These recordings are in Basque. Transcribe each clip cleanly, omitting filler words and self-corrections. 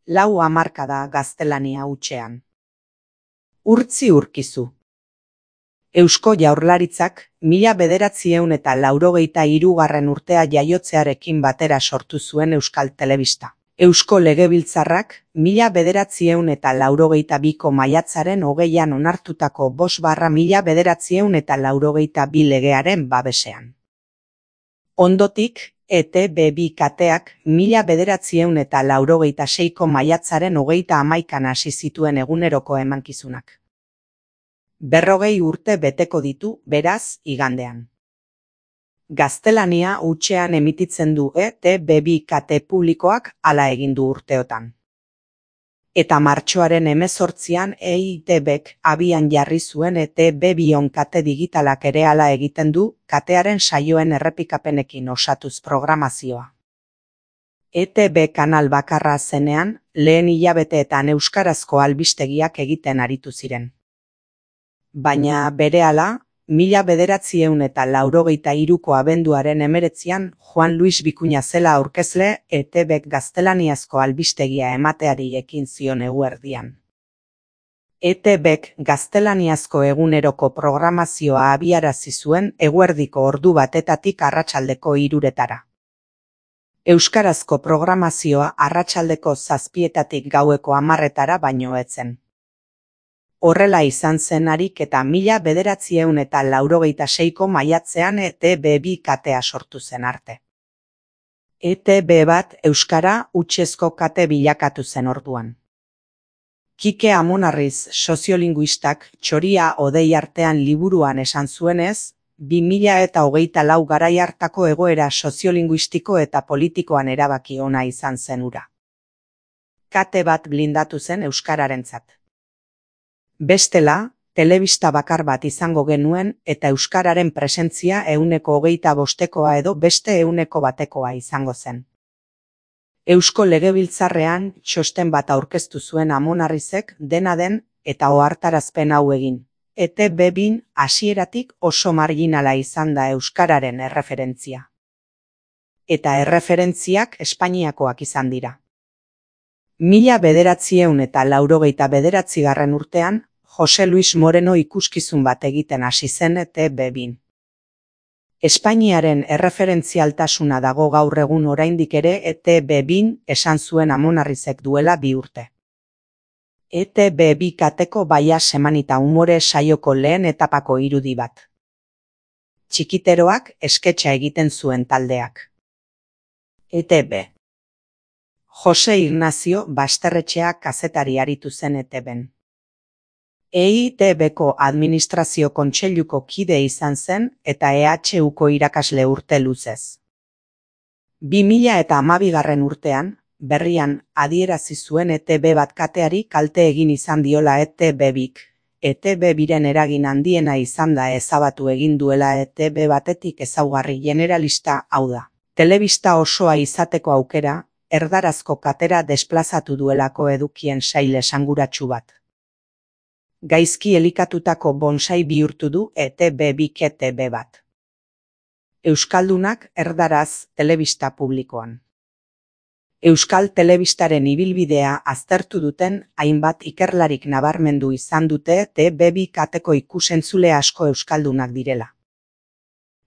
lau hamarkada gaztelania hutsean. Urtzi urkizu. Eusko Jaurlaritzak 1983 urtea jaiotzearekin batera sortu zuen Euskal Telebista. Eusko Legebiltzarrak 1982ko maiatzaren 20an onartutako 5/1982 legearen babesean. Ondotik, ETB2 kateak 1986ko maiatzaren 31an hasi zituen eguneroko emankizunak. 40 urte beteko ditu, beraz, igandean. Gaztelania hutsean emititzen du ETB2 kate publikoak hala egin du urteotan. Eta martxoaren 18an EITBk abian jarri zuen ETB2 kate digitalak ere hala egiten du, katearen saioen errepikapenekin osatuz programazioa. ETB kanal bakarra zenean, lehen hilabeteetan euskarazko albistegiak egiten aritu ziren. Baina berehala, 1983ko abenduaren 19an Juan Luis Bikuña zela aurkezle ETBk gaztelaniazko albistegia emateari ekin zion eguerdian. ETBk gaztelaniazko eguneroko programazioa abiarazi zuen eguerdiko ordu batetatik arratsaldeko 3etara. Euskarazko programazioa arratsaldeko 7etatik gaueko 10etara baino ez zen. Horrela izan zen harik eta 1986ko maiatzean ETB2 katea sortu zen arte. ETB1 euskara hutsezko kate bilakatu zen orduan. Kike Amonarriz soziolinguistak Txoria hodei artean liburuan esan zuenez, 2024 garai hartako egoera soziolinguistiko eta politikoan erabaki ona izan zen hura. Kate bat blindatu zen euskararentzat. Bestela, telebista bakar bat izango genuen eta euskararen presentzia 25%koa edo beste 100%koa izango zen. Eusko Legebiltzarrean txosten bat aurkeztu zuen Amonarrizek dena den eta ohartarazpen hau egin. ETB2 hasieratik oso marginala izan da euskararen erreferentzia. Eta erreferentziak Espainiakoak izan dira. 1989 urtean, Jose Luis Moreno ikuskizun bat egiten hasi zen ETB2. Espainiaren erreferentzialtasuna dago gaur egun oraindik ere ETB2 esan zuen Amonarrizek duela 2 urte. ETB2 kateko baia semanita umore saioko lehen etapako irudi bat. Txikiteroak esketxa egiten zuen taldeak. ETB. Jose Ignacio Basterretxea kazetari aritu zen ETBn. EITBko administrazio kontseiluko kide izan zen eta EHUko irakasle urte luzez. 2012 urtean, berrian adierazi zuen ETB bat kateari kalte egin izan diola ETB2k. ETB2ren eragin handiena izan da ezabatu egin duela ETB batetik ezaugarri generalista hau da. Telebista osoa izateko aukera, erdarazko katera desplazatu duelako edukien sail esanguratsu bat. Gaizki elikatutako bonsai bihurtu du ETB2k ETB bat. Euskaldunak erdaraz telebista publikoan. Euskal Telebistaren ibilbidea aztertu duten hainbat ikerlarik nabarmendu izan dute ETB2 kateko ikusentzule asko euskaldunak direla.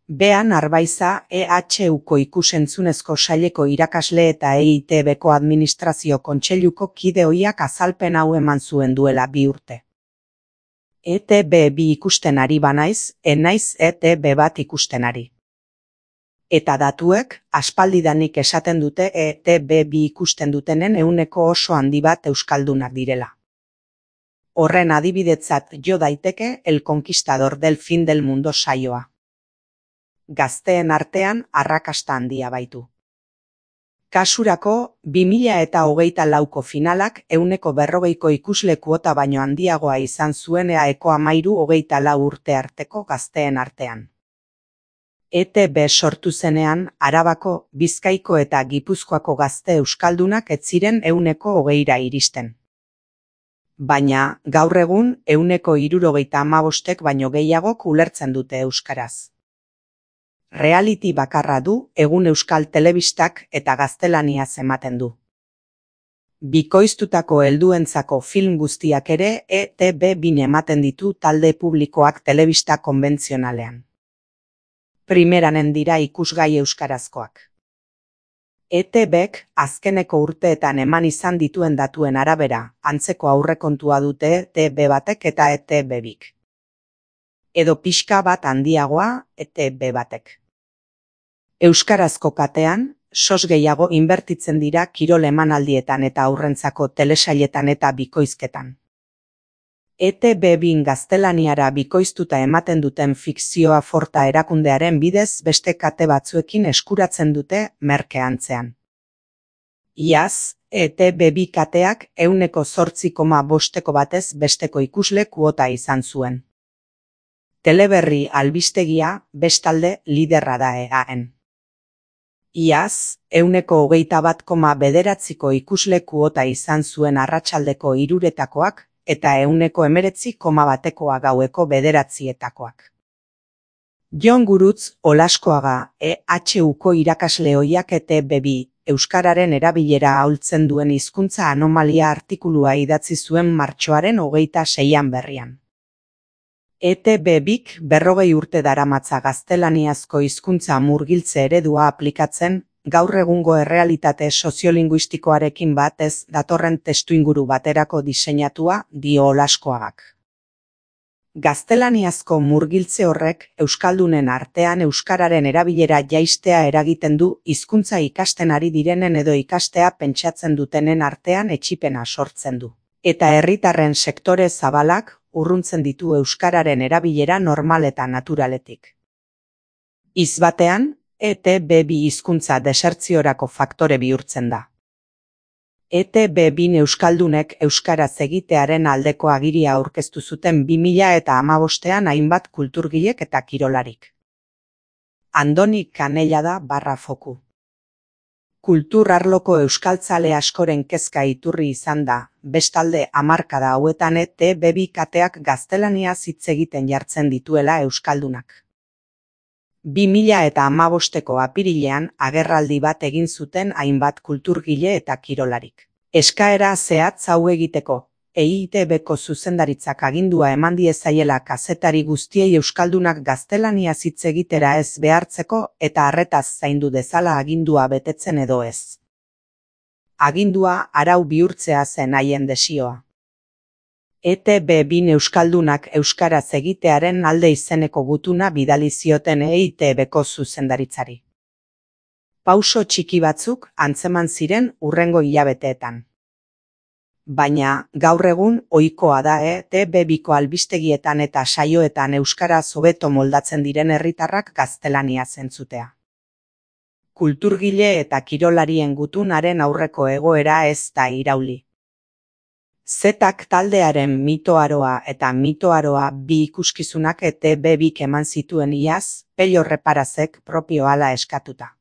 Bean Arbaiza EHUko ikusentzunezko saileko irakasle eta EITBko administrazio kontseiluko kide ohiak azalpen hau eman zuen duela 2 urte. ETB2 ikusten ari banaiz, enaiz ETB bat ikusten ari. Eta datuek, aspaldidanik esaten dute ETB2 ikusten dutenen 100% oso handi bat euskaldunak direla. Horren adibidetzat jo daiteke El Conquistador del Fin del Mundo saioa. Gazteen artean arrakasta handia baitu. Kasurako, 2024ko finalak 140ko ikusle kuota baino handiagoa izan zuen EAeko 13-24 urte arteko gazteen artean. ETB sortu zenean, Arabako, Bizkaiko eta Gipuzkoako gazte euskaldunak ez ziren 120ra iristen. Baina, gaur egun 175ek baino gehiagok ulertzen dute euskaraz. Reality bakarra du egun euskal telebistak eta gaztelaniaz ematen du. Bikoiztutako helduentzako film guztiak ere ETB2 ematen ditu talde publikoak telebista konbentzionalean. Primeranen dira ikusgai euskarazkoak. ETBek azkeneko urteetan eman izan dituen datuen arabera, antzeko aurrekontua dute ETB1 eta ETB2. Edo pixka bat handiagoa ETB1. Euskarazko katean, sos gehiago inbertitzen dira kirol emanaldietan eta aurrentzako telesailetan eta bikoizketan. ETB2 gaztelaniara bikoiztuta ematen duten fikzioa Forta erakundearen bidez beste kate batzuekin eskuratzen dute merkeantzean. Iaz, ETB2 kateak 8,8% batez besteko ikusle kuota izan zuen. Teleberri albistegia bestalde liderra da EAN. Iaz, 21,9% ikusle kuota izan zuen arratsaldeko 3-etakoak, eta 19,1% gaueko 9-etakoak. Jon Gurutz Olaskoaga, EHUko irakasle ohiak ETB2, euskararen erabilera ahultzen duen hizkuntza anomalia artikulua idatzi zuen martxoaren 26an berrian. ETB2k 40 urte daramatza gaztelaniazko hizkuntza murgiltze eredua aplikatzen, gaur egungo errealitate soziolinguistikoarekin batez datorren testuinguru baterako diseinatua, dio Olaskoagak. Gaztelaniazko murgiltze horrek euskaldunen artean euskararen erabilera jaistea eragiten du hizkuntza ikasten ari direnen edo ikastea pentsatzen dutenen artean etsipena sortzen du. Eta herritarren sektore zabalak urruntzen ditu euskararen erabilera normal eta naturaletik. Hitz batean, ETB2 hizkuntza desertziorako faktore bihurtzen da. ETB2 euskaldunek euskaraz egitearen aldeko agiria aurkeztu zuten 2015an hainbat kulturgilek eta kirolarik. Andoni Kanellada /foku. Kultur arloko euskaltzale askoren kezka iturri izan da, bestalde hamarkada hauetan ETB2 kateak gaztelaniaz hitz egiten jartzen dituela euskaldunak. 2015ko apirilean agerraldi bat egin zuten hainbat kulturgile eta kirolarik. Eskaera zehatz hau egiteko, EITBko zuzendaritzak agindua eman diezaiela kazetari guztiei euskaldunak gaztelaniaz hitz egitera ez behartzeko eta arretaz zaindu dezala agindua betetzen edo ez. Agindua arau bihurtzea zen haien desioa. ETB2 euskaldunak euskaraz egitearen alde izeneko gutuna bidali zioten EITBko zuzendaritzari. Pauso txiki batzuk antzeman ziren hurrengo hilabeteetan. Baina, gaur egun ohikoa da ETB2ko albistegietan eta saioetan euskaraz hobeto moldatzen diren herritarrak gaztelaniaz entzutea. Kulturgile eta kirolarien gutunaren aurreko egoera ez da irauli. Zetak taldearen mitoaroa eta mitoaroa 2 ikuskizunak ETB2k eman zituen iaz, Pello Reparazek propio hala eskatuta.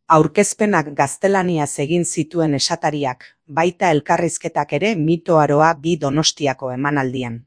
Aurkezpenak gaztelaniaz egin zituen esatariak, baita elkarrizketak ere mitoaroa 2 Donostiako emanaldian.